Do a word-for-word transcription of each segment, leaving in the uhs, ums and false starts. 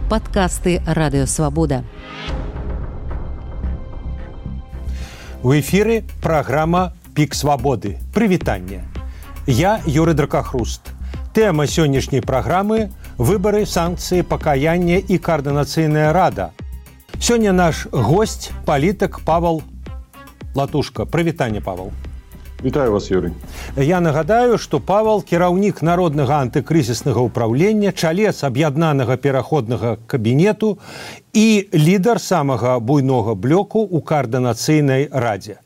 Падкасты Радыёвабода. У эфіры праграма «Пік свабоды». Прывітанне. Я Юрый Дракахруст. Тэма сённяшняй праграмы – выбары, санкцыі, пакаянне і координацыйная рада. Сёння наш госць – палітык Павел Латушка. Прывітанне, Павел. Вітаю вас, Юрый. Я нагадаю, што Павел – кіраўнік народнага антыкрызіснага ўпраўлення, чалец аб'яднанага пераходнага кабінету і лідар самага буйнога блоку ў координацыйнай радзе.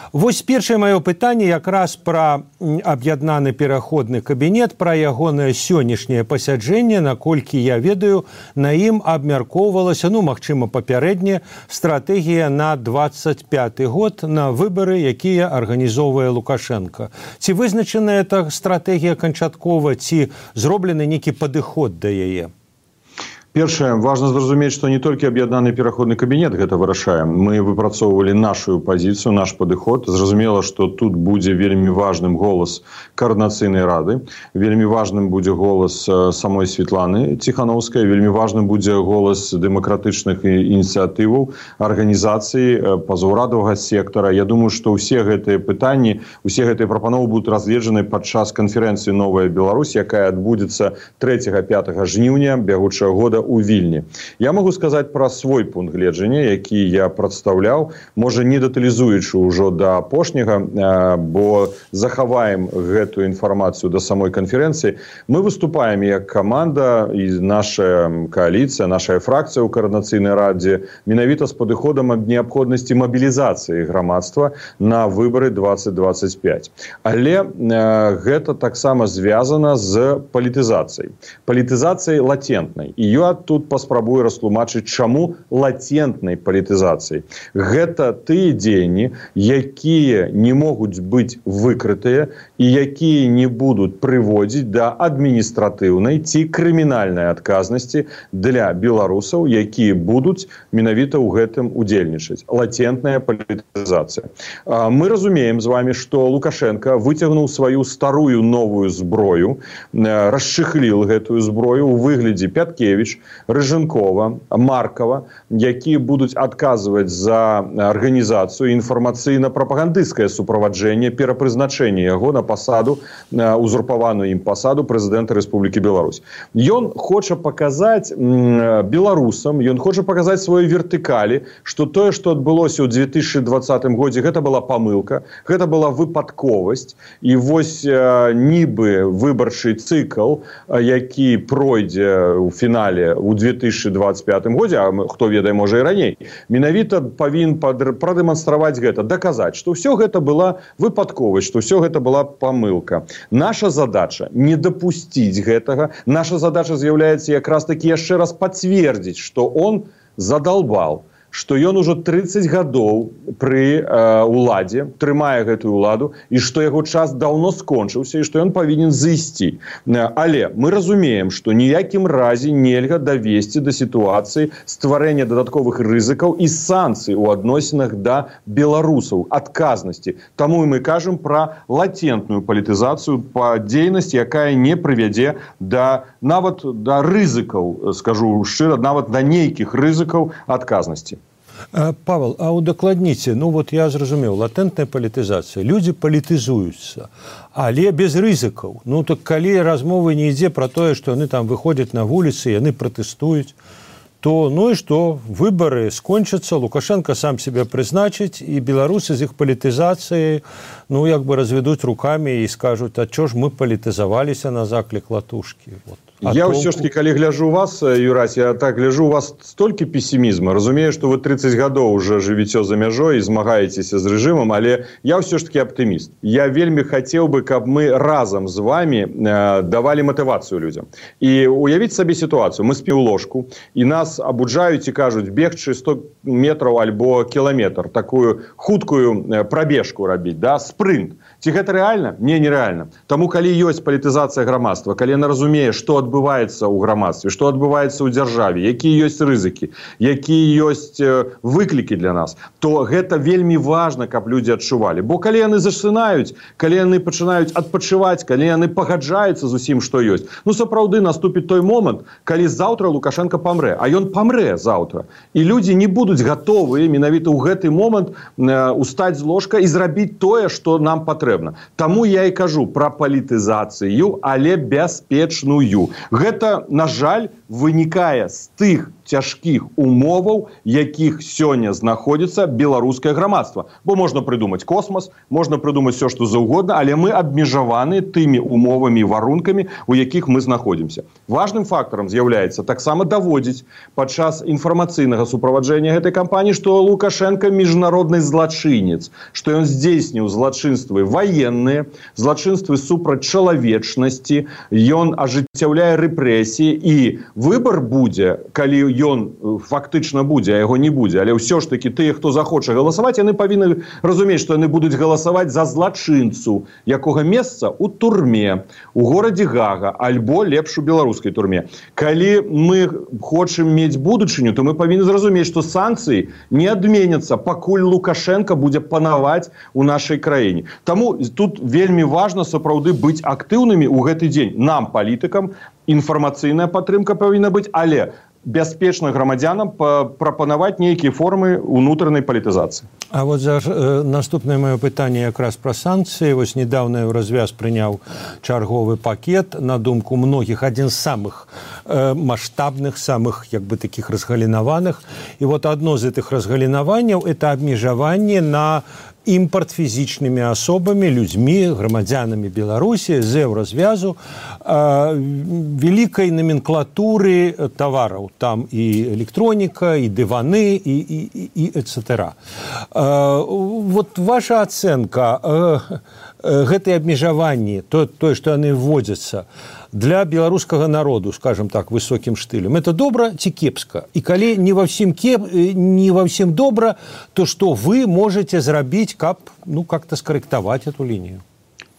Вось першае маё пытанне якраз пра аб'яднаны пераходны кабінет, пра ягонае сённяшняе пасяджэнне, наколькі я ведаю, на ім абмяркоўвалася, ну, магчыма, папярэдне, стратэгія на двадцать пяты год на выбары, якія арганізоўвае Лукашенко. Ці вызначаная эта стратэгія канчаткова, ці зроблены нейкі падыход да яе? Першае, важна зразумець, што не толькі аб'яднаны пераходны кабінет гэта вырашае. Мы выпрацоўвалі нашу пазіцыю, наш падыход. Зразумела, што тут будзе вельмі важным голас координацыйнай рады, вельмі важным будзе голас самой Светланы Ціхановскай, вельмі важным будзе голас дэмакратычных ініцыятываў, арганізацый, пазаўрадавага сектара. Я думаю, што ўсе гэтыя пытанні, усе гэтыя прапановы будуць разгледжаны падчас канферэнцыі «Новая Беларусь», якая адбудзецца трэцяга-пятага жніўня бягучага года у Вільні. Я могу сказаць пра свой пункт гледжання, які я прадстаўляў, можа не дэталізуючы ўжо да апошняга, бо захаваем гэтую інфармацыю да самой канферэнцыі. Мы выступаем як каманда і наша кааліцыя, наша фракцыя ў координацыйнай радзе менавіта з падыходам ад неабходнасці мабілізацыі грамадства на выбары двадцать двадцать пять. Але гэта таксама звязана з палітызацыяй. Палітызацыяй латентнай. І я тут паспрабую растлумачыць, чаму латентнай палітызацыі. Гэта тыя дзеянні, якія не могуць быць выкрытыя і якія не будуць прыводзіць да адміністратыўнай ці крымінальнай адказнасці для беларусаў, якія будуць менавіта ў гэтым удзельнічаць. Латентная палітызацыя. Мы разумеем з вами, што Лукашенко выцягнуў сваю старую новую зброю, расчыхліл гэтую зброю ў выглядзе Пяткевіч, Рыжынкова, Маркова, якія будуць адказваць за арганізацыю інфармацыйна-прапагандысцкае суправаджэнне, перапрызначэнне яго на пасаду, узурпаваную ім пасаду прэзідэнта Рэспублікі Беларусь. Ён хоча паказаць беларусам, ён хоча паказаць сваёй вертыкалі, што тое, што адбылося ў две тысячи двадцатым годзе, гэта была памылка, гэта была выпадковасць, і вось нібы выбарчы цыкл, які пройдзе ў фінале у две тысячи двадцать пятым годзе, а хто ведае, можа і раней, менавіта павінен прадэманстраваць гэта, даказаць, што ўсё гэта была выпадковасць, што ўсё гэта была памылка. Наша задача не дапусціць гэтага, наша задача з'яўляецца якраз такі яшчэ раз пацвердзіць, што он задалбал, што ён ужо тридцать гадоў пры э, уладзе, трымае гэтую уладу, і што яго час даўно скончыўся, і што ён павінен зайсці. Але мы разумеем, што ніякім разе нельга давесці да сітуацыі стварэння дадатковых рызыкаў і санкцый у адносінах да беларусаў, адказнасці. Таму мы кажам пра латентную палітызацыю, па дзейнасць, якая не прывядзе да нават да рызыкаў, скажу шчыра, нават да нейкіх рызыкаў адказнасці. Павел, а удакладніце, ну вот я зразумеў, латентная палітызацыя, людзі палітызуюцца, але без рызыкаў. Ну так калі размовы не ідзе пра тое, што яны там выходзяць на вуліцы, яны пратэстуюць, то ну і што, выбары скончацца, Лукашенко сам себе прызначыць, і беларусы з іх палітызацыяй, ну як бы разведуць рукамі і скажуць, а чо ж мы палітызаваліся на заклік Латушкі? Вот. А я то... ўсё ж таки, калі гляжу у вас, Юрась, я так гляжу у вас столькі пессімізма. Разумею, што вы тридцать гадоў уже жывіце за мяжой і змагаецеся з рэжымам, але я ўсё ж таки аптыміст. Я вельмі хацеў бы, каб мы разам з вами э, давалі матывацыю людзям. І уявіць сабе сітуацыю. Мы спім у ложку, і нас абуджаюць і кажуць бегчы сто метраў альбо кіламетр, такую хуткую прабежку рабіць, да, спрынт. Ці гэта рэальна? Не, нерэальна. Таму, калі ёсць палітызацыя грамадства, калі яна разумее, што адбываецца ў грамадстве, што адбываецца ў дзяржаве, якія ёсць рызыкі, якія ёсць выклікі для нас, то гэта вельмі важна, каб людзі адчувалі. Бо калі яны засынаюць, калі яны пачынаюць адпачываць, калі яны пагаджаюцца з усім, што ёсць, ну сапраўды наступіць той момант, калі заўтра Лукашенко памрэ, а ён памрэ заўтра. І людзі не будуць гатовыя менавіта ў гэты момант устаць з ложка і зрабіць тое, што нам патрэбна. Таму я і кажу пра палітызацыю, але бяспечную. Гэта, на жаль, вынікае з тых цяжкіх умоваў, якіх сёння знаходзіцца беларускае грамадства. Бо можна прыдумаць космас, можна прыдумаць все, што заўгодна, але мы абмежаваны тымі умовамі, варункамі, у якіх мы знаходзімся. Важным фактарам з'яўляецца таксама даводзіць падчас інфармацыйнага суправаджэння гэтай кампаніі, што Лукашенко міжнародны злачынец, што ён здзейсніў злачынствы ваенныя, злачынствы супраць чалавечнасці, ён ажыццяўляе рэпрэсіі, і выбар будзе, калі ён фактычна будзе, а яго не будзе, але ўсё ж таки тыя, хто захоча галасаваць, яны павінны разумець, што яны будуць галасаваць за злачынцу, якога месца ў турме, у горадзе Гага, альбо лепш у беларускай турме. Калі мы хочам мець будучыню, то мы павінны зразумець, што санкцыі не адменяцца, пакуль Лукашенко будзе панаваць у нашай краіне. Таму тут вельмі важна сапраўды быць актыўнымі ў гэты дзень. Нам, палітыкам, інфармацыйная падтрымка павінна быць, але бяспечна грамадзянам прапанаваць нейкія формы унутранай палітызацыі. А вот за, э, наступнае маё пытанне якраз пра санкцыі. Вось недаўна ў развяз прыняў чарговы пакет, на думку многіх, адзін з самых э, маштабных, самых як бы такіх разгалінаваных. І вот адно з гэтых разгалінаванняў это абмежаванне на імпорт фізічнымі асобамі, людзьмі, грамадзянамі Беларусі з еўразвязу э, вялікай номенклатуры тавараў. Там і электроніка, і дываны, і, і, і эт-цэтэра. Э, вот ваша ацэнка э, э, гэтай абмежаванні, то, тое, што яны вводзяцца, для беларускага народу, скажем так, высокім штылем, это добра ці кепска? І калі не ва ўсім кеп, не ва ўсім добра, то што вы можете зрабіць, каб ну как-то скарэктаваць эту лінію?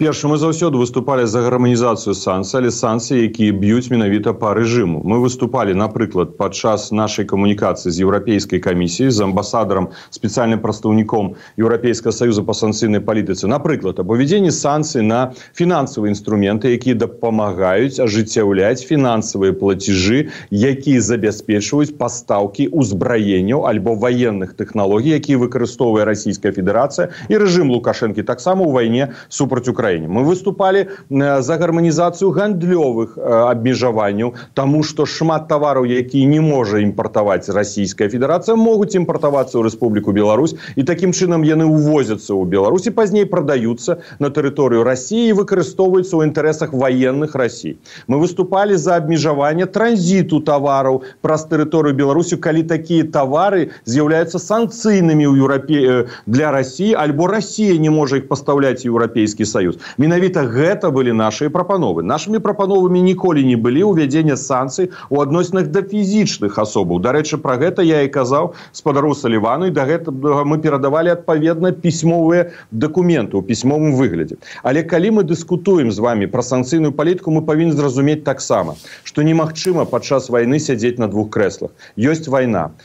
Першы, мы заўсёды выступалі за гарманізацыю санкцый, але санкцыі, якія б'юць менавіта па рэжыму. Мы выступалі, напрыклад, падчас нашай камунікацыі з Еўрапейскай камісіяй, з амбасадарам, спецыяльным прадстаўніком Еўрапейскага саюза па санкцыйнай палітыцы. Напрыклад, аб увядзенні санкцый на фінансавыя інструменты, якія дапамагаюць ажыццяўляць фінансавыя плацежы, якія забяспечваюць пастаўкі ўзбраенняў альбо ваенных тэхналогій, якія выкарыстоўвае Расійская Федэрацыя і рэжым Лукашэнкі таксама ў вайне супраць Украіны. Мы выступалі за гарманізацыю гандлёвых абмежаванняў, таму што шмат тавараў, якія не можа імпартаваць Расійская Федэрацыя, могуць імпартавацца ў Рэспубліку Беларусь, і такім чынам яны ўвозяцца ў Беларусь і пазней прадаюцца на тэрыторыю Расіі і выкарыстоўваюцца ў інтарэсах ваенных Расіі. Мы выступалі за абмежаванне транзіту тавараў праз тэрыторыю Беларусі, калі такія тавары з'яўляюцца санкцыйнымі ў Еўрапе... для Расіі, альбо Расія не можа іх пастаўляць Еўрапейскі Саюз. Менавіта гэта былі нашыя прапановы. Нашымі прапановамі ніколі не былі ўвядзення санкцый у адносінах да фізічных асобаў. Дарэчы, пра гэта я і казаў спадару Салівану, і да гэтага мы перадавалі адпаведна пісьмовыя дакументы ў пісьмовым выглядзе. Але калі мы дыскутуем з вами пра санкцыйную палітыку, мы павінны зразумець таксама, што немагчыма падчас вайны сядзець на двух крэслах. Ёсць вайна.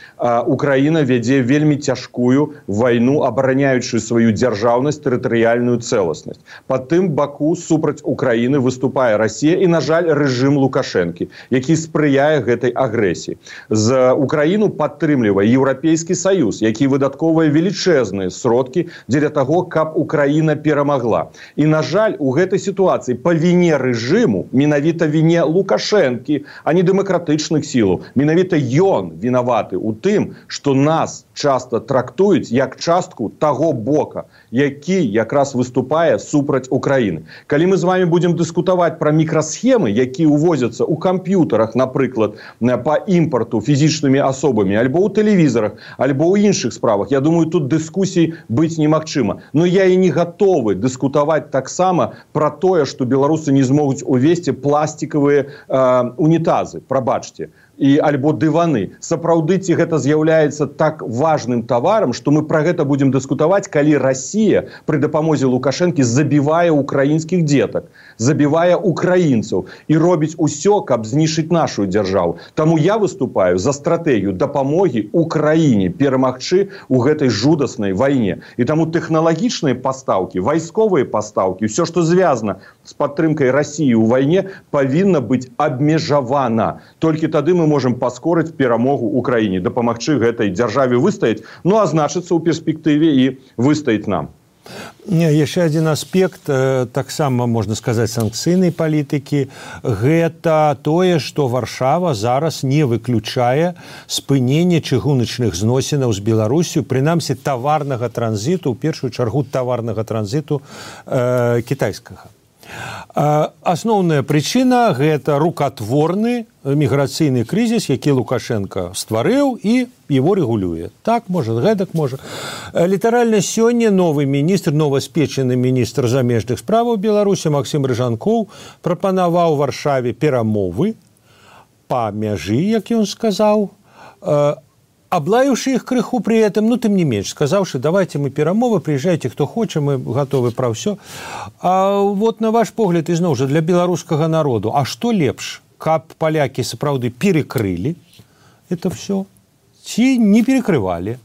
Украіна вядзе вельмі цяжкую вайну, абараняючую сваю дзяржаўнасць, тэрытарыяльную цэласнасць. Па тым баку супраць Украіны выступае Расія і, на жаль, рэжым Лукашэнкі, які спрыяе гэтай агрэсіі. З Украіну падтрымлівае Еўрапейскі Саюз, які выдаткоўвае велічэзныя сродкі дзеля таго, каб Украіна перамагла. І, на жаль, у гэтай сітуацыі па віне рэжыму, менавіта віне Лукашэнкі, а не дэмакратычных сілаў, менавіта ён вінаваты ў тым, што нас часта трактуюць як частку таго бока, які якраз выступае супраць Украіны. Калі мы з вами будем дыскутаваць пра мікрасхемы, якія ўвозяцца ў камп'ютарах, напрыклад, па імпарту фізічнымі асобамі, альбо ў тэлевізарах, альбо ў іншых справах, я думаю, тут дыскусій быць немагчыма. Но я і не гатовы дыскутаваць таксама пра тое, што беларусы не змогуць увесці пластикавыя э, унітазы. Прабачце. і альбо дываны. Сапраўды ці гэта з'яўляецца так важным таварам, што мы пра гэта будзем дыскутаваць, калі Расія пры дапамозе Лукашэнкі забівае украінскіх дзетак, забівае украінцаў і робіць усё, каб знішчыць нашу дзяржаву. Таму я выступаю за стратэгію дапамогі Украіне перамагчы ў гэтай жудаснай вайне. І таму тэхналагічныя пастаўкі, вайсковыя пастаўкі, ўсё, што звязана з падтрымкай Расіі ў вайне, павінна быць абмежавана. Толькі тады мы можем паскорыць перамогу Украіне, дапамагчы гэтай дзяржаве выстаяць, ну а значыцца ў перспектыве і выстаяць нам. Яшчэ адзін аспект, таксама, можна сказаць, санкцыйнай палітыкі, гэта тое, што Варшава зараз не выключае спынення чыгуначных зносінаў з Беларусю, прынамсі таварнага транзіту, у першую чаргу таварнага транзіту э, кітайскага. Асноўная прычына – гэта рукатворны міграцыйны крызіс, які Лукашенко стварыў і его рэгулюе. Так, можа, гэтак можа. Літаральна сёння новы міністр, новаспечаны міністр замежных справаў Беларусі Максім Рыжанкоў прапанаваў Варшаве перамовы па мяжы, як ён сказаў, облаивши их крыху при этом, ну, тем не меньше, сказавши, давайте мы перамовы, приезжайте, кто хочет, мы готовы про все. А вот на ваш погляд, изноў жа, для беларускага народу, а что лепш, каб поляки сапраўды перекрыли это все, ці не перекрывали?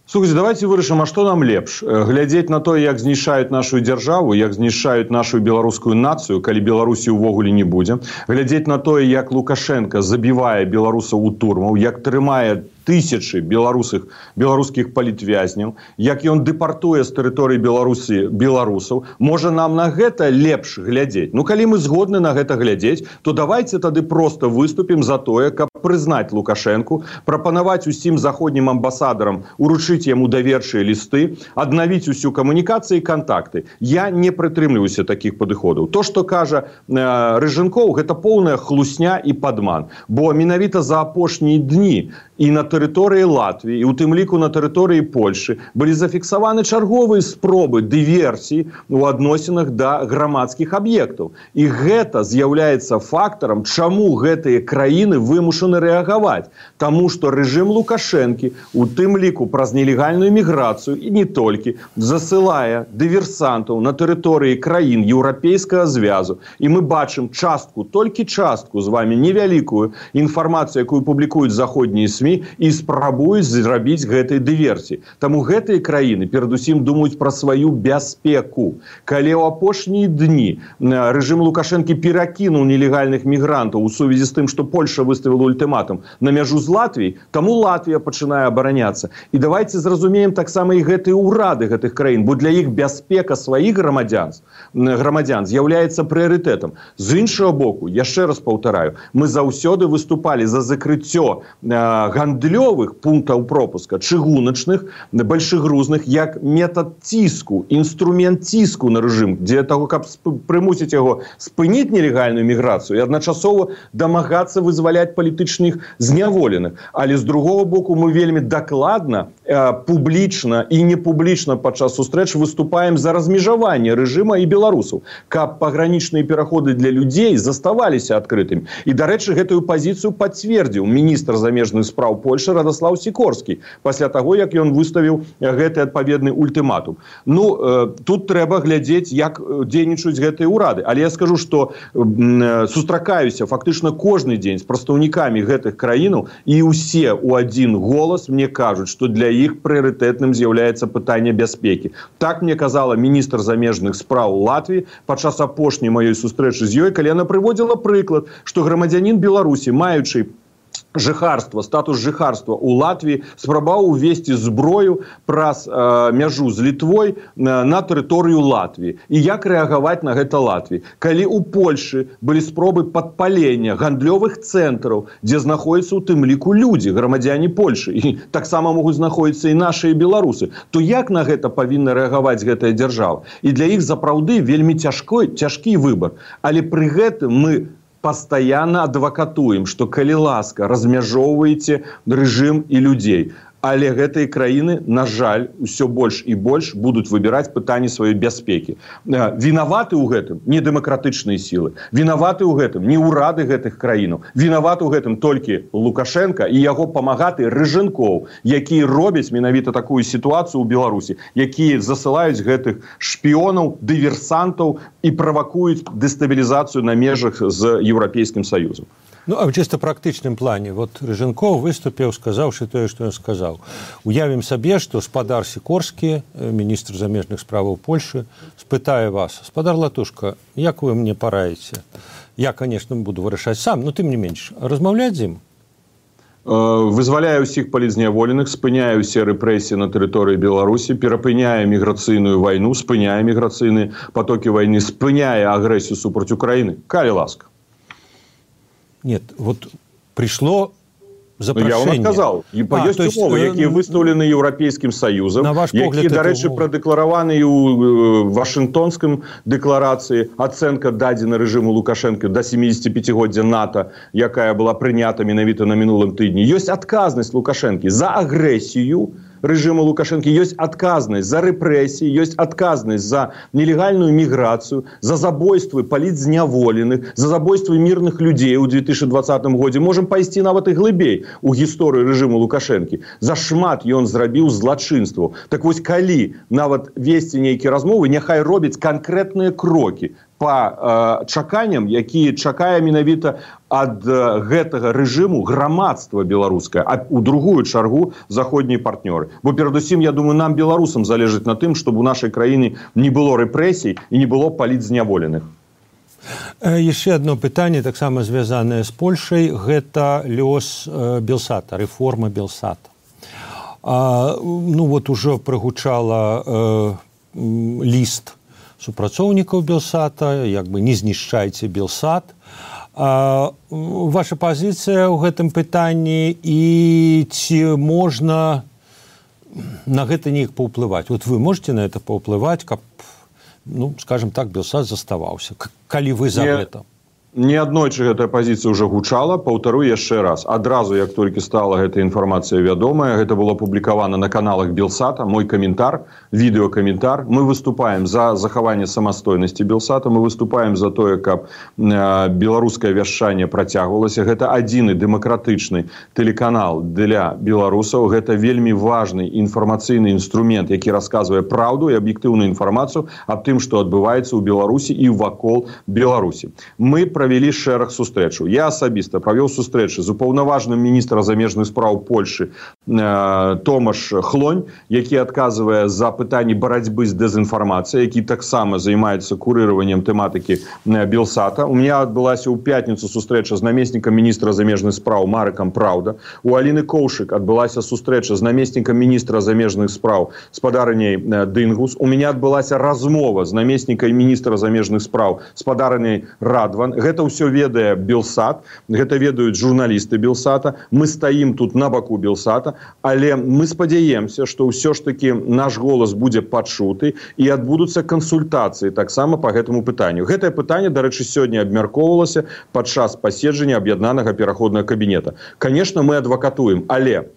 Слухайте, давайте вырашым, а што нам лепш? Глядзець на то, як знішчаюць нашу дзяржаву, як знішчаюць нашу беларускую нацыю, калі Беларусі ўвогуле не будзе. Глядзець на тое, як Лукашенко забівае беларусаў у турмаў, як трымае тысячы беларусых, беларускіх палітвязняў, як ён дэпартуе з тэрыторыі Беларусі беларусаў. Можа, нам на гэта лепш глядзець? Ну, калі мы згодны на гэта глядзець, то давайте тады проста выступім за тое, каб прызнаць Лукашэнку, прапанаваць усім заходнім амбасадарам уручыць яму даверчыя лісты, аднавіць усю камунікацыю і кантакты. Я не прытрымліваюся такіх падыходаў. То, што кажа э, Рыжанкоў, гэта поўная хлусня і падман. Бо менавіта за апошнія дні і на тэрыторыі Латвіі, і ў тым ліку на тэрыторыі Польшы былі зафіксаваны чарговыя спробы дыверсіі ў адносінах да грамадскіх аб'ектаў. І гэта з'яўляецца фактарам, чаму гэтыя краіны вымушаны рэагаваць. Таму што рэжым Лукашэнкі, у тым ліку праз нелегальную міграцыю і не толькі, засылае дыверсантаў на тэрыторыі краін Еўрапейскага звязу. І мы бачым частку, толькі частку з вами невялікую інфармацыю, якую публікуюць заходнія СМІ, і спрабуюць зрабіць гэтай дыверсіі. Таму гэтыя краіны перадусім думаюць пра сваю бяспеку. Калі ў апошнія дні рэжым Лукашэнкі перакінуў нелегальных мігрантаў у сувязі з тым, што Польша выставіла ультыматум на мяжу з Латвіяй, таму Латвія пачынае абараняцца. І давайте зразумеем таксама і гэтыя ўрады гэтых краін, бо для іх бяспека сваіх грамадзян, грамадзян з'яўляецца прыярытэтам. З іншага боку, яшчэ раз паўтараю, мы заўсёды выступалі за закрыццё гандлёвых пунктаў пропуска, чыгуначных, большегрузных, як метад ціску, інструмент ціску на рэжым, для того, каб прымусіць яго спыніць нелегальную міграцыю і адначасова дамагацца вызваляць палітычных зняволеных. Але з другого боку мы вельмі дакладна, публічна і непублічна падчас сустрэч выступаем за размежаванне рэжыма і беларусаў, каб пагранічныя пераходы для людзей заставаліся адкрытымі. І, дарэчы, гэтую пазіцыю пацвердзіў міністр замежных справ Польши Радаслаў Сікорскі пасля таго, як ён выставіў гэты адпаведны ультыматум. Ну, тут трэба глядзець, як дзейнічаюць гэтыя ўрады. Але я скажу, што сустракаюся фактычна кожны дзень з прадстаўнікамі гэтых краінаў, і ўсе ў адзін голас мне кажуць, што для іх прыярытэтным з'яўляецца пытанне бяспекі. Так мне казала міністр замежных спраў Латвіі падчас апошняй маёй сустрэчы з ёй, калі яна прыводзіла прыклад, што грамадзянін Беларусі, маючы жыхарства, статус жыхарства ў Латвіі, спрабаваў увесці зброю праз э, мяжу з Літвой на, на тэрыторыю Латвіі. І як рэагаваць на гэта Латвіі? Калі ў Польшы былі спробы падпалення гандлёвых цэнтраў, дзе знаходзяцца ў тым ліку людзі, грамадзяне Польшы, і таксама могуць знаходзіцца і нашыя беларусы, то як на гэта павінна рэагаваць гэтая дзяржава? І для іх сапраўды вельмі цяжкой, цяжкі выбар. Але пры гэтым мы пастаянна адвакатуем, што калі ласка, размяжоўваеце рэжым і людзей. Але гэтыя краіны, на жаль, усё больш і больш будуць выбіраць пытанні сваёй бяспекі. Вінаваты ў гэтым не дэмакратычныя сілы, вінаваты ў гэтым не ўрады гэтых краінаў, вінаваты ў гэтым толькі Лукашенко і яго памагаты Рыжэнкоў, якія робяць менавіта такую сітуацыю ў Беларусі, якія засылаюць гэтых шпіёнаў, дыверсантаў і правакуюць дэстабілізацыю на межах з Еўрапейскім Саюзам. Ну, а в чисто практычным плане, вот Рыжэнкоў выступіў, сказаўшы тое, што ён сказаў. Уявім сабе, што спадар Сікорскі, міністр замежных справаў Польшы, спытае вас: спадар Латушка, як вы мне параіце? Я, конечно, буду вырашаць сам, но тым не менш, размаўляць з ім? Вызваляе ўсіх палітзняволеных, спыняе ўсе рэпрэсіі на тэрыторыі Беларусі, перапыняе міграцыйную вайну, спыняе міграцыйныя потокі вайны, спыняе агрэсію супраць Украіны. Калі ласка. Нет, вот пришло запрошение. Я вам отказал. А, есть есть умовы, якія выстаўлены Еўрапейскім Саюзам, якія, дарэчы, прадэклараваны ў Вашынгтонскім дэкларацыі, ацэнка дадзена рэжыму Лукашенко да семидесятипятигоддзя НАТО, якая была прынята менавіта на мінулым тыдні. Ёсць адказнасць Лукашенкі за агрэсію рэжыму Лукашенко, ёсць адказнасць за рэпрэсіі, ёсць адказнасць за нелегальную міграцыю, за забойствы палітзняволеных, за забойствы мірных людзей у две тысячи двадцатым годзе. Можам пайсці нават і глыбей у гісторыю рэжыму Лукашенкі. За шмат ён зрабіў злачынстваў. Так вось, калі нават весці нейкія размовы, няхай робяць канкрэтныя крокі па э, чаканням, якія чакае менавіта ад э, гэтага рэжыму грамадства беларускае, а у другую чаргу заходнія партнёры. Бо перадусім, я думаю, нам, беларусам, залежыць на тым, чтобы у нашай краіны не было рэпрэсій і не было палітзняволеных. Яшчэ одно пытанне, таксама звязанае з Польшай, гэта лёс э, Белсата, рэформа Белсата. А, ну вот ужо прагучала э, ліст супрацоўнікаў Белсата, як бы не знішчайце Белсат. А, ваша пазіцыя ў гэтым пытанні і ці можна на гэта неяк паўплываць? Вот вы можете на это паўплываць, каб, ну, скажем так, Белсат заставаўся, калі вы за Не... гэта? Неаднойчы гэтая пазіцыя ўжо гучала, паўтару яшчэ раз. Адразу, як толькі стала гэта інфармацыя вядомая, гэта было апублікавана на каналах Белсата, мой каментар, відэакаментар. Мы выступаем за захаванне самастойнасці Белсата, мы выступаем за тое, каб э, беларускае вяшчанне працягвалася. Гэта адзіны дэмакратычны тэлеканал для беларусаў. Гэта вельмі важны інфармацыйны інструмент, які расказвае праўду і аб'ектыўную інфармацыю аб тым, што адбываецца ў Беларусі і вакол Беларусі. Мы правялі шэраг сустрэчаў. Я асабіста правёў сустрэчы з упаўнаважаным міністрам замежных спраў Польшы э, Томаш Хлонь, які адказвае за пытанні барацьбы з дэзінфармацыяй, які таксама займаецца курыраваннем тэматыкі э, Белсата. У меня адбылася ў пятніцу сустрэча з намеснікам міністра замежных спраў Марыкам Праўда. У Аліны Коўшык адбылася сустрэча з намеснікам міністра замежных спраў спадарыняй э, Дынгус. У меня адбылася размова з намеснікам міністра замежных спраў спадарыняй Радван. Гэта ўсё ведае Белсат, гэта ведаюць журналісты Белсата. Мы стаім тут на баку Белсата, але мы спадзяемся, што ўсё ж такі наш голас будзе пачуты і адбудуцца кансультацыі таксама па гэтаму пытанню. Гэтае пытанне, дарэчы, сёння абмяркоўвалася падчас паседжання аб'яднанага пераходнага кабінета. Канешне, мы адвакатуем, але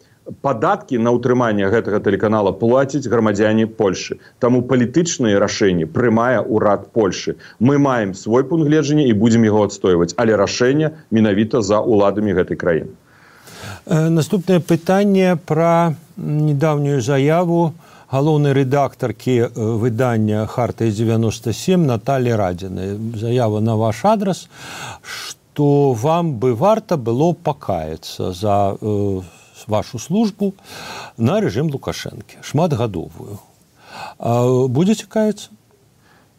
падаткі на ўтрыманне гэтага тэлеканала плацяць грамадзяне Польшы. Таму палітычныя рашэнні прымае ўрад Польшы. Мы маем свой пункт гледжання і будзем яго адстойваць, але рашэнне менавіта за ўладамі гэтай краіны. Наступнае пытанне пра недаўнюю заяву галоўнай рэдактаркі выдання «Хартыя девяносто семь» Натальи Радзінай. Заява на ваш адрас, што вам бы варта было пакаяцца за э, вашу службу на рэжым Лукашэнкі, шматгадовую. А будзеце каяцца?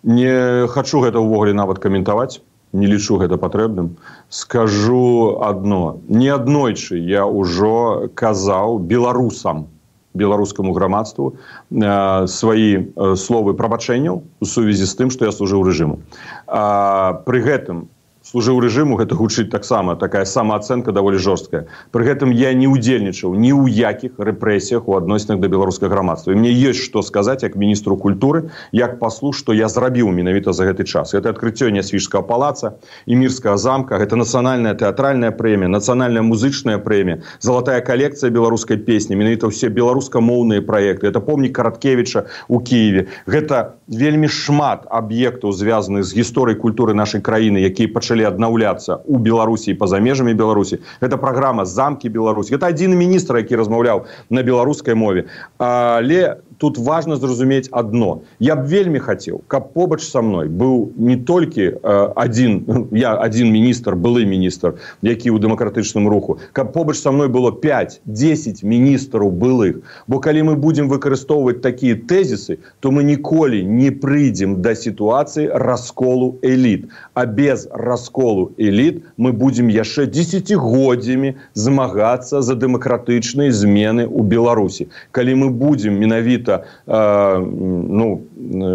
Не хачу гэта ўвогуле нават каментаваць, не лічу гэта патрэбным. Скажу адно. Неаднойчы я ўжо казаў беларусам, беларускаму грамадству э, свае э, словы прабачэнняў у сувязі з тым, што я служыў рэжыму. А, пры гэтым служыў рэжыму, гэта гучыць таксама такая самаацэнка даволі жорсткая. Пры гэтым я не удзельнічаў ні ў якіх рэпрэсіях у адносінах да беларускага грамадства. І мне ёсць што сказаць як міністру культуры, як паслу, што я зрабіў менавіта за гэты час. Гэта адкрыццё Нясвіжскага палаца і Мірскага замка, гэта нацыянальная тэатральная прэмія, нацыянальная музычная прэмія, залатая калекцыя беларускай песні, менавіта ўсе беларускамоўныя праекты, гэта помнік Караткевіча ў Кіеве. Гэта вельмі шмат аб'ектаў, звязаных з гісторыяй культуры нашай краіны, якія пачалі аднаўляцца ў Беларусі і па-за межамі Беларусі. Гэта праграма «Замкі Беларусі». Гэта адзін міністр, які размаўляў на беларускай мове. Але тут важна зразумець адно. Я б вельмі хацеў, каб побач са мной быў не толькі адзін, я адзін міністр, былы міністр, які ў дэмакратычным руху, каб побач са мной было пяць-дзесяць міністраў былых. Бо калі мы будзем выкарыстоўваць такія тэзісы, то мы ніколі не прыйдзем да сітуацыі расколу эліт. А без расколу эліт мы будзем яшчэ дзесяцігоддзямі змагацца за дэмакратычныя змены ў Беларусі. Калі мы будзем менавіта ну,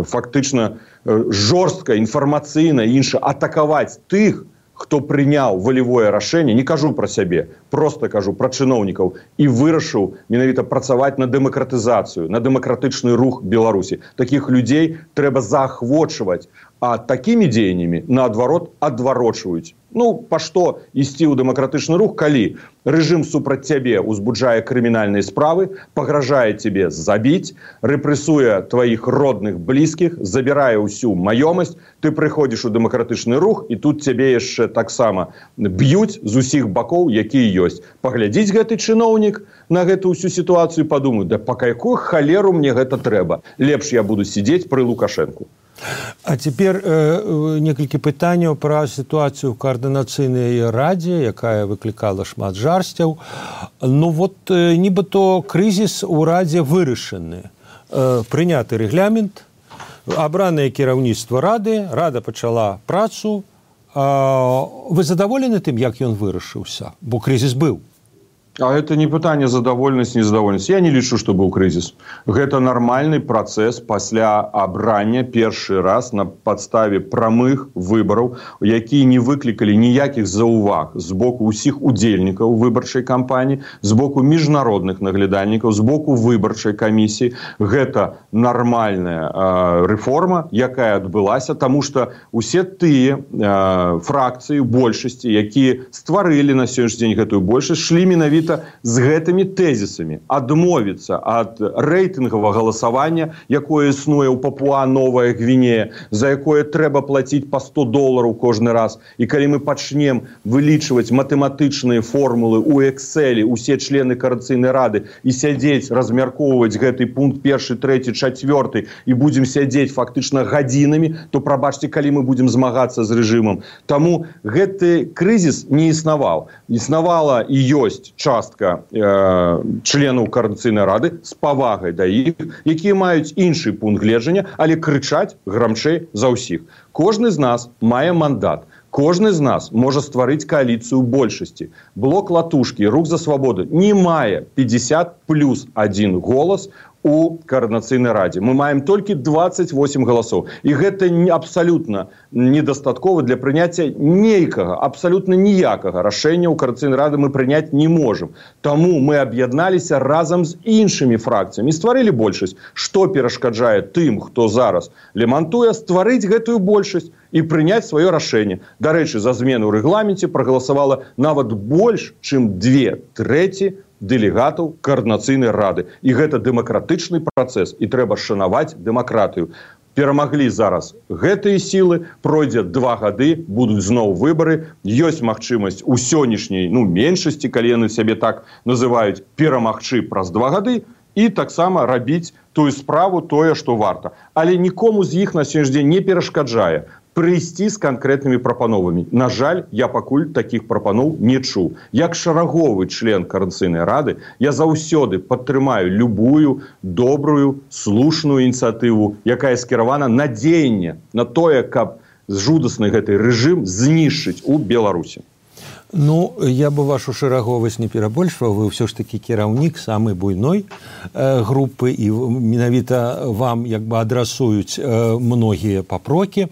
фактычна жорстка, інфармацыйна і інша атакаваць тых, хто прыняў валявое рашэнне, не кажу пра сябе, просто кажу пра чыноўнікаў, і вырашыў менавіта працаваць на дэмакратызацыю, на дэмакратычны рух Беларусі. Такіх людзей трэба заахвочваць, а такімі дзеяннямі, наадварот, адварочваюць. Ну, па што ісці ў дэмакратычны рух, калі рэжым супраць цябе ўзбуджае крымінальныя справы, пагражае цябе забіць, рэпрэсуе тваіх родных, блізкіх, забірае ўсю маёмасць, ты прыходзіш у дэмакратычны рух, і тут цябе яшчэ таксама б'юць з усіх бакоў, якія ёсць. Паглядзіць гэты чыноўнік на гэту ўсю сітуацыю, падумаю, да па якую халеру мне гэта трэба? Лепш я буду сидзець пры Лукашэнку. А цяпер э, некалькі пытанняў пра сітуацыю ў каардынацыйнай радзе, якая выклікала шмат жарсцяў. Ну вот э, нібыто крызіс у радзе вырашаны. Э, прыняты рэгламент, абранае кіраўніцтва рады, рада пачала працу. Э, вы задаволены тым, як ён вырашыўся? Бо крызіс быў. А это не пытанне задаволенасць, незадаволенасць. Я не лічу, што быў крызіс. Гэта нармальны працэс пасля абрання першы раз на падставе прамых выбараў, якія не выклікалі ніякіх заўваг з боку ўсіх удзельнікаў выбарчай кампаніі, з боку міжнародных наглядальнікаў, з боку выбарчай камісіі. Гэта нармальная э, рэформа, якая адбылася, таму што усе тыя э, фракцыі большасці, якія стварылі на сённяшні дзень гэтую большасць, шлі менавіта з гэтымі тэзісамі адмовіцца ад рэйтынгавага галасавання, якое існуе ў Папуа-Новая Гвінея, за якое трэба плаціць па сто долараў кожны раз. І калі мы пачнем вылічваць матэматычныя формулы ў Экселі, усе члены Коордынацыйнай рады, і сядзець, размяркоўваць гэты пункт першы, трэці, чацвёрты, і будзем сядзець фактычна гадзінамі, то прабачце, калі мы будзем змагацца з рэжымам. Таму гэты крызіс не існаваў. Існавала і ёсць частка э, членаў Коордынацыйнай рады з павагай да іх, якія маюць іншы пункт гледжання, але крычаць грамчэй за ўсіх. Кожны з нас мае мандат. Кожны з нас можа стварыць кааліцыю большасці. Блок Латушкі, Рух за свабоду не мае пятьдесят плюс один голас у Коордынацыйнай радзе. Мы маем толькі двадцать восемь галасоў. І гэта абсалютна недастаткова для прыняцця нейкага, абсалютна ніякага рашэння ў Коордынацыйнай рады мы прыняць не можам. Таму мы аб'ядналіся разам з іншымі фракцыямі, стварылі большасць. Што перашкаджае тым, хто зараз лемантуе, стварыць гэтую большасць і прыняць сваё рашэнне. Дарэчы, за змену ў рэгламенце прагаласавала нават больш, чым две трэці дэлегатаў Коордынацыйнай рады. І гэта дэмакратычны працэс, і трэба шанаваць дэмакратыю. Перамаглі зараз гэтыя сілы, пройдзе два гады, будуць зноў выбары, ёсць магчымасць у сённяшняй, ну, меншасці, калі яны сябе так называюць, перамагчы праз два гады, і таксама рабіць тую справу, тое, што варта. Але нікому з іх на сённяшні дзень не перашкаджае прыйсці з канкрэтнымі прапановамі. На жаль, я пакуль такіх прапаноў не чуў. Як шараговы член Коордынацыйнай рады, я заўсёды падтрымаю любую добрую, слушную ініцыятыву, якая скіравана на дзеянне, на тое, каб жудасны гэты рэжым знішчыць у Беларусі. Ну, я бы вашу шараговасць не перабольшваў, вы ўсё ж такі кіраўнік самай буйной э, групы, і менавіта вам як бы адрасуюць э, многія папрокі.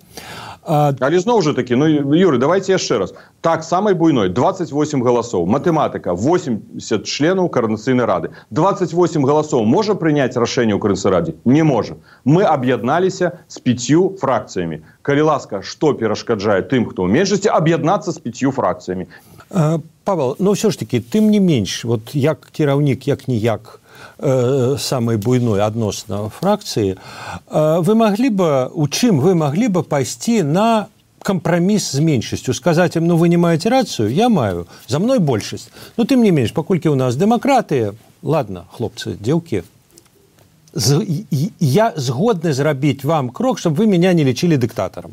А... Але зноў жа такі, ну, Юрий, давайте яшчэ раз. Так, самай буйной, двадцать восемь галасоў. Матэматыка, восемьдесят членаў Координацыйнай рады. двадцать восемь галасоў можа прыняць рашэнне ў Координацыйнай радзе? Не можа. Мы аб'ядналіся з пятью фракцыямі. Калі ласка, што перашкаджае тым, хто ў меншасці, аб'яднацца з пятью фракцыямі? Павел, ну все ж таки, тым не менш, вот як кіраўнік, як ніяк э, самай буйной адносна фракцыі, э, вы маглі бы, у чым вы маглі бы пайсці на кампраміс з меншасцю, сказаць ім, ну вы не маеце рацыю, я маю, за мной большасць. Ну тым не менш, паколькі ў нас дэмакратыя, ладно, хлопцы, дзеўкі, з, я згодны зрабіць вам крок, чтобы вы меня не лічылі дыктатарам.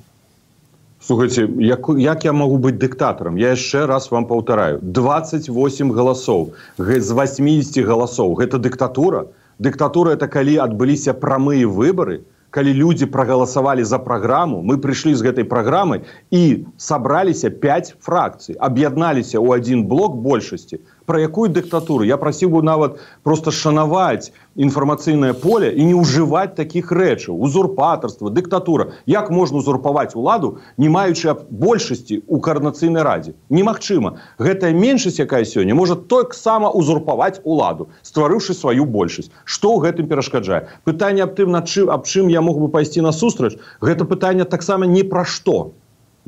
Слухайте, як, як я могу быть диктатором? Я еще раз вам повторяю. двадцать восемь голосов з восьмидесяти голосов. Это диктатура? Диктатура – это когда отбылись прямые выборы, когда люди проголосовали за программу, мы пришли с этой программой и собрались пять фракций, объединались у один блок большости. Про якую диктатуру? Я просил бы нават просто шанаваць інфармацыйнае поле і не ўжываць такіх рэчаў. Узурпатарства, дыктатура. Як можна узурпаваць уладу, не маючы большасці ў Координацыйнай радзе? Немагчыма. Гэтая меншасць, якая сёння, можа таксама узурпаваць уладу, стварыўшы сваю большасць. Што ў гэтым перашкаджае? Пытанне аб тым, над чым, аб чым я мог бы пайсці насустрач, гэта пытанне таксама не пра што.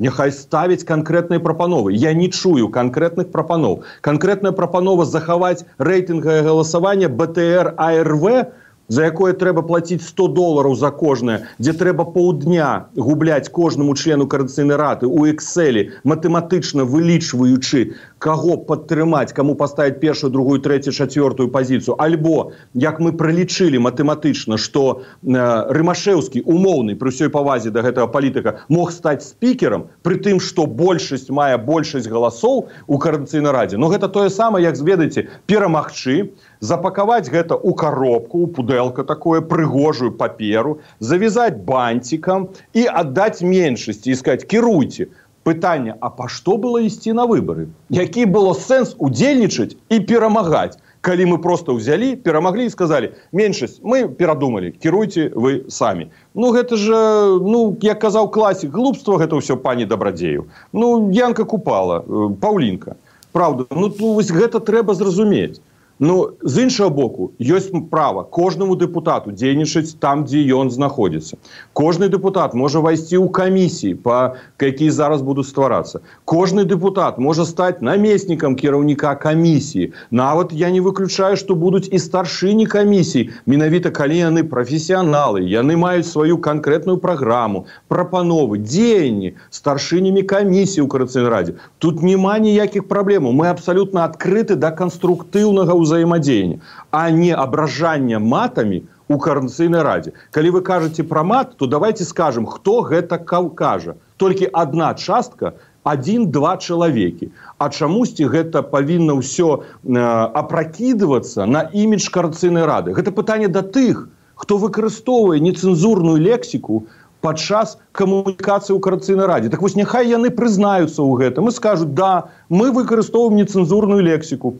Няхай ставіць канкрэтныя прапановы. Я не чую канкрэтных прапаноў. Канкрэтная прапанова захаваць рэйтынгавае галасаванне бэ тэ эр а эр вэ, за якое трэба плаціць сто долараў за кожнае, дзе трэба паўдня губляць кожнаму члену Координацыйнай рады ў экселі, матэматычна вылічваючы, каго падтрымаць, каму паставіць першую, другую, трэцюю, чацвёртую пазіцыю. Альбо, як мы прылічылі матэматычна, што э, Рымашэўскі, умоўны, пры ўсёй павазе да гэтага палітыка, мог стаць спікерам, пры тым, што большасць мае большасць галасоў у Координацыйнай радзе. Но гэта тое самае, як, ведаеце, перамагчы, запакаваць гэта ў коробку, ў пудэлка такое, прыгожую паперу, завязаць бантикам і аддаць меншасці і сказаць, кіруйце. Пытанне, а па што было ісці на выбары? Які было сэнс удзельнічаць і перамагаць? Калі мы просто ўзялі, перамаглі і сказалі, меншасць, мы перадумалі, кіруйце вы самі. Ну, гэта же, ну, як казаў класік, глупства гэта ўсё пані Дабрадзею. Ну, Янка Купала, Паўлінка. Праўда, ну, вось гэта трэба зразумець. Ну, з іншага боку, ёсць права кожнаму дэпутату дзейнічаць там, дзе ён знаходзіцца. Кожны дэпутат можа вайсці ў камісіі, па якія зараз будуць стварацца. Кожны дэпутат можа стаць намеснікам кіраўніка камісіі. Нават я не выключаю, што будуць і старшыні камісій, менавіта калі яны прафесіяналы, яны маюць сваю канкрэтную праграму, прапановы, дзеянні старшынямі камісіі ў Координацыйнай радзе. Тут няма ніякіх праблемаў. Мы абсалютна адкрыты да канструктыўнага ўзаемадзеяння. взаимодействия, а не ображание матами у Координацыйнай радзе. Калі вы кажаце пра мат, то давайте скажем, хто гэта кажа. Толькі одна частка, один-два чалавекі. А чамусьці гэта павінна ўсё э, апракідвацца на імідж Координацыйнай рады. Гэта пытанне да тых, хто выкарыстоўвае нецэнзурную лексіку падчас камунікацыі ў Координацыйнай радзе. Так вось няхай яны прызнаюцца ў гэтым і скажуць, да, мы выкарыстоўваем нецэнзурную лексіку.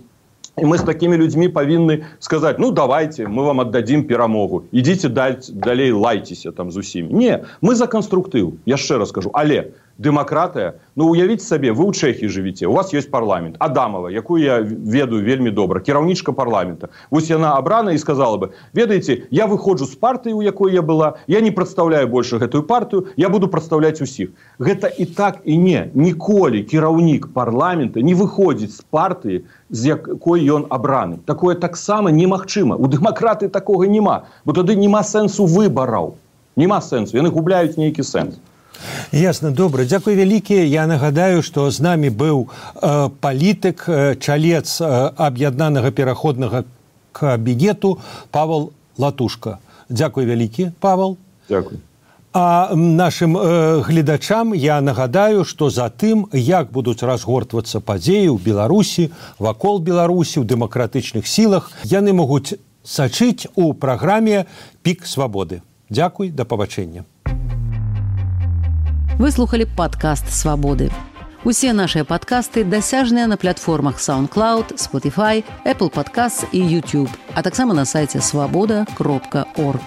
И мы с такими людьми повинны сказать, ну давайте, мы вам отдадим перамогу. Идите далей, лайтесь там з усімі. Не, мы за конструктыў, я яшчэ раз скажу. Але дэмакратыя, ну уявіце сабе, вы ў Чэхіі жывіце, у вас ёсць парламент. Адамова, якую я ведаю вельмі добра, кіраўнічка парламента. Вось яна абрана і сказала бы, ведаеце, я выходжу з партыі, у якой я была, я не прадстаўляю больше гэтую партыю, я буду прадстаўляць усіх. Гэта і так, і не. Ніколі кіраўнік парламента не выходзіць з партыі, з якой ён абраны. Такое таксама немагчыма. У дэмакратыі такога няма. Бо тады няма сэнсу выбараў. Няма сэнсу. Яны губляюць нейкі сэнс. Ясна, добра. Дзякуй вялікі. Я нагадаю, што з намі быў э, палітык, э, чалец э, аб'яднанага пераходнага кабінету Павел Латушка. Дзякуй вялікі, Павел. Дзякуй. А нашим э, гледачам я нагадаю, што за тым, як будуць разгортвацца падзеі ў Беларусі, вакол Беларусі, ў дэмакратычных сілах, яны могуць сачыць у праграме «Пік свабоды». Дзякуй, да пабачэння. Вы слухали падкаст «Свабоды». Усе нашыя падкасты дасяжныя на платформах SoundCloud, Spotify, Apple Podcasts і YouTube, а таксама на сайце свабода кропка орг.